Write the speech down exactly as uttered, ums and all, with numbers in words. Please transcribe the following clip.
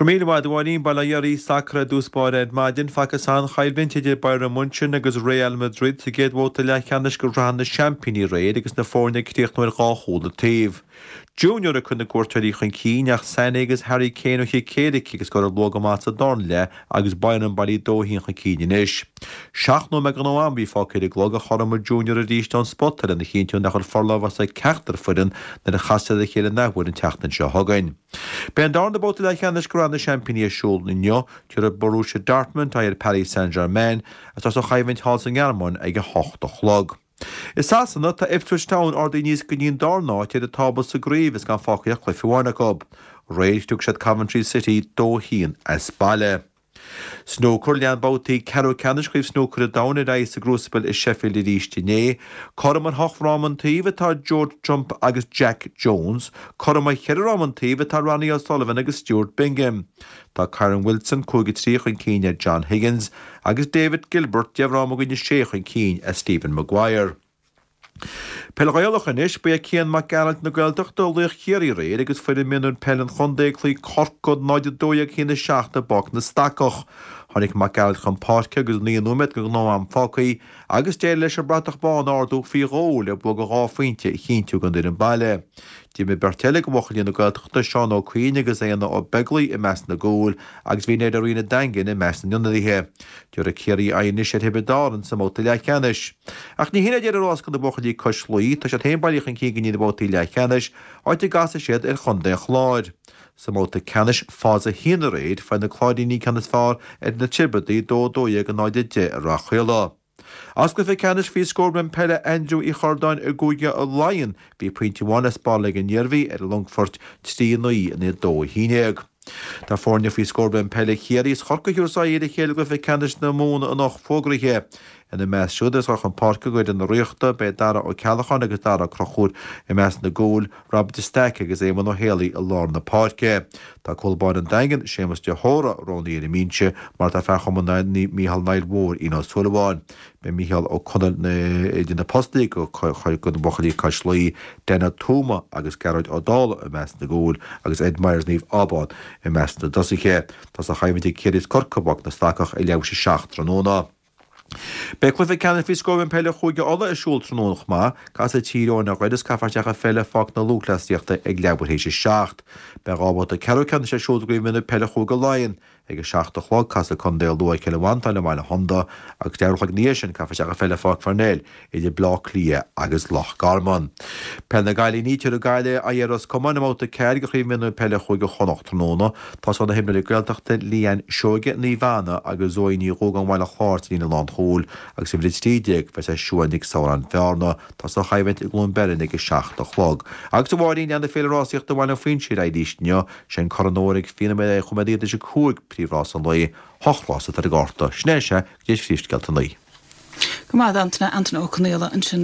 Go raibh míle maith agat a Mháirín. Bail ó Dhia oraibh. Sacar i dtús báire ar maidin. Facthas an-choimhlint idir Bayern Munchen agus Real Madrid sa gcéad bhabhta leathcheannais de Shraith na Seaimpíní aréir agus na foirne ag críochnú ar dhá chúl an taobh. Junior a chuir na cuairteoirí chun cinn ach Sané agus Harry Kane ó chic éirice agus scóráil luath go maith sa darna leath agus Bayern bailí dó a haon chun cinn anois. Seacht nóiméad den ghnáth-am a bhí fágtha ar an gclog a chothromaigh Junior arís ón spota lena chinntiú nach bhfuil forlámhas ag ceachtar foireann nuair a chasfaidh siad ar a chéile an athuair an tseachtain seo chugainn. Beidh an darna babhta leathcheannais de Shraith na Seaimpíní ar siúl inniu. Tabharfaidh Borussia Dortmund aghaidh ar Paris Saint-Germain agus tosóidh an choimhlint thall sa nGearmáin ag a hocht a chlog. I Sasana, tá Ipswich Town ardaithe aníos go dtí an darna háit ar an tábla sa gcraobh is gan fágtha ach cluiche amháin acu. Aréir thug siad Coventry City dó a haon as baile. Snúcar, Lean babhtaí ceathrú ceannais Chraobh Snúcair an Domhain ar aghaidh sa gCrucible i Sheffield arís inné. Cothrom ar hocht fhráma an taobh atá Judd Trump agus Jack Jones. Cothrom ar cheithre fhráma an taobh atá Ronnie O'Sullivan agus Stuart Bingham. Tá Kyren Wilson cúig a trí chun cinn ar John Higgins agus David Gilbert deich bhfráma i gcoinne sé chun cinn ar Stephen Maguire. Peil Ghaelach anois, ba é Cian Mac Gearailt na Gaeltachta laoch Chiarraí aréir agus foireann mionúir peile an chontae ag cloí Corcaigh náid a dó dhéag a haon a seacht i bPáirc na Stacach. Tháinig Mac Gearailt chun páirce agus naoi nóiméad den ghnáth-am fágtha agus d'éirigh leis an bratach bán a ardú faoi dhó le bua de dhá phointe a chinntiú don fhoireann baile. D'imir beirt eile de bhuachaillí na Gaeltachta, Seán Ó Cuinn agus Éanna Ó Beaglaoich i measc na gcúl agus bhí Ned Ó Riain an Daingin i measc na n-ionadaithe. Tabharfaidh Ciarraí aghaidh anois ar Thiobraid Árann sa mbabhta leathcheannais. Ach ní hin é deireadh rása do na buachaillí cois Laoi, tá siad féin bailithe chun cinn go dtí na babhtaí leathcheannais, áit a gcasfaidh siad ar chontae an Chláir. Sa mbabhta ceannais Phase a haon aréir, fuair na Cláirínigh ceann is fearr ar na Tiobradaigh, dó a dó dhéag a náid a deich i Rath Caola. As cluiche ceannais faoi scór bonn peile Aindriú Uí Chordáin i gCúige Laighean, bhí pointe amháin le spáráil ag an Iarmhí ar an Longfort, trí a naoi in aghaidh dó a haon déag. Tá foirne faoi scór bonn peile Chiarraí is Chorcaí a thabharfas aghaidh ar a chéile i gcluiche ceannais na Mumhan anocht fógraithe. Ina measc siúd is chun páirce d'fhoireann na Ríochta, beidh Dara Ó Ceallacháin agus Dara Ó Conchúir i measc na gcúl, Rob de Staic agus Éamonn Ó Héalaí i lár na páirce. Tá cúl báire an Daingin, Séamus de hÓra, roghnaithe ar an mbinse, mar atá fear Chumann Mícheál Niall Mhóir, Ian Ó Súilleabháin. Beidh Mícheál Ó Conaill idir na postaí do na buachaillí cois Laoi, Dan Ó Tuama agus Gearóid Ó Dálaigh i measc na gcúl agus Ed Myers Naomh Abán i measc na dtosaithe. Tá an choimhlint ag Ciarraí is Corcaigh i bPáirc na Stacach ag leathuair tar éis a seacht tráthnóna. Beidh cluiche ceannais faoi scór bonn peile Chúige Uladh ar siúl tráthnóna chomh maith. Casfaidh Tír Eoghain ar Dhoire is caithfear isteach an pheil i Pháirc na Lúthchleasaíochta ag leathuair théis a seacht. Beidh dhá bhabhta ceathrú ceannais ar siúl i gCraobh Mionúir Peile Chúige Laighean. Ag a seacht a chlog, casfaidh Contae Lú ar Chill Mhantáin i mBaile Shonda agus leathuair a chloig ina dhiaidh sin, caithfear isteach an pheil i Pháirc Pharnell idir Bleá Cliath agus Loch Garman. Peil na gCailíní, Tabharfaidh Gaillimh aghaidh ar Ros Comáin i mbabhta a ceathair de Chraobh Mionúir Peile Chúige Chonnacht tráthnóna. Tosóidh na himreoirí Gaeltachta Leanne Seoige, Naomh Anna agus Zoe Ní Dhúgáin Bhaile Chláir sa líne lánchúil agus uimhir a trí déag beidh sé Siuan Nic Samhráin Bhearna. Tosóidh an choimhlint i gCluain Beirn ag a seacht a chlog. Agus a Mháirín, leanfaidh Féile Rásaíochta Bhaile an Phuinséir ar aghaidh arís inniu. Sé an Corn Óir ag fiche nóiméad tar éis a cúig príomhrás an lae, hocht rás atá ar an gcárta. Sin é sea, go dtí phríomhscéalta a naoi. Go maith Antaine Antaine Ó Conaola ansin.